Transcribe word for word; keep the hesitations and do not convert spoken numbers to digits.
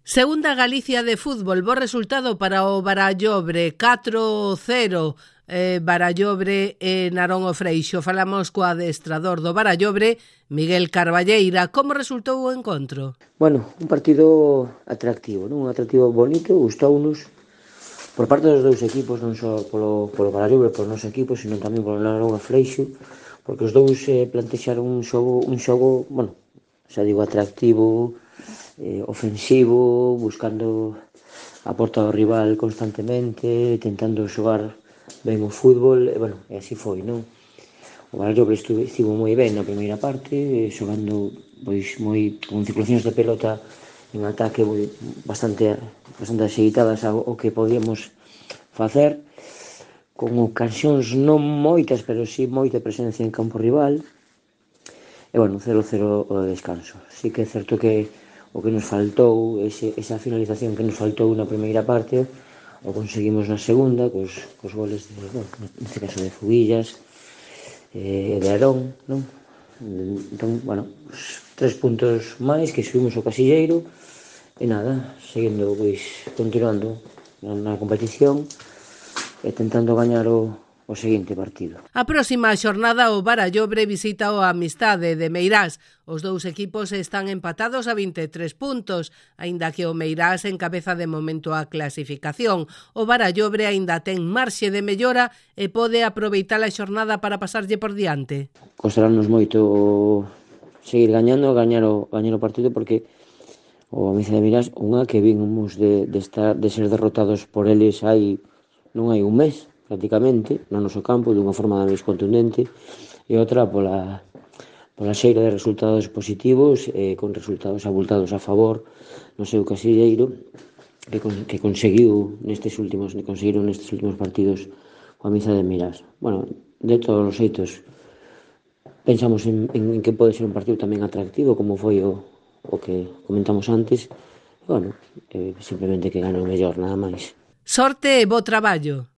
Segunda Galicia de fútbol, bo resultado para o Barallobre, catro cero, eh, Barallobre e Narón o Freixo. Falamos co adestrador do Barallobre, Miguel Carballeira. Como resultou o encontro? Bueno, un partido atractivo, non? Un atractivo bonito, gustounos por parte dos dous equipos, non só polo, polo Barallobre, polo noso equipo, sino tamén polo Narón o Freixo, porque os dous eh, plantexaron un xogo, un xogo, bueno, xa digo, atractivo, eh, ofensivo, buscando a porta do rival constantemente, tentando xogar ben o fútbol, e, bueno, e así foi, non? O Barallobre estivo moi ben na primeira parte, xogando pois moi con circulacións de pelota en ataque moi, bastante bastante axeitadas ao, ao que podíamos facer, con ocasións non moitas, pero sí moita presencia en campo rival. E, bueno, cero cero o descanso. Sí que é certo que o que nos faltou, ese, esa finalización que nos faltou na primeira parte, o conseguimos na segunda, cos, cos goles de, bueno, neste caso de Fuguillas, e eh, de Arón, non? Entón, bueno, tres puntos máis que subimos o casilleiro, e nada, seguindo, pois, continuando na, na competición, e tentando gañar o, o seguinte partido. A próxima xornada o Barallobre visita o Amistade de Meirás. Os dous equipos están empatados a vinte e tres puntos, aínda que o Meirás encabeza de momento a clasificación. O Barallobre aínda ten marxe de mellora e pode aproveitar a xornada para pasarlle por diante. Costarános moito seguir gañando, gañar o, gañar o partido, porque o Amistade de Meirás, unha que vimos de, de, estar, de ser derrotados por eles hai non hai un mes, prácticamente, no noso campo, dunha forma máis contundente, e outra pola, pola xeira de resultados positivos, eh, con resultados abultados a favor no seu casilleiro, que, con, que conseguiu nestes últimos, conseguiron nestes últimos partidos coa Amistade de Meirás. Bueno, de todos os xeitos, pensamos en, en que pode ser un partido tamén atractivo, como foi o, o que comentamos antes, e, bueno, eh, simplemente que gane o mellor, nada máis. Sorte e bo traballo.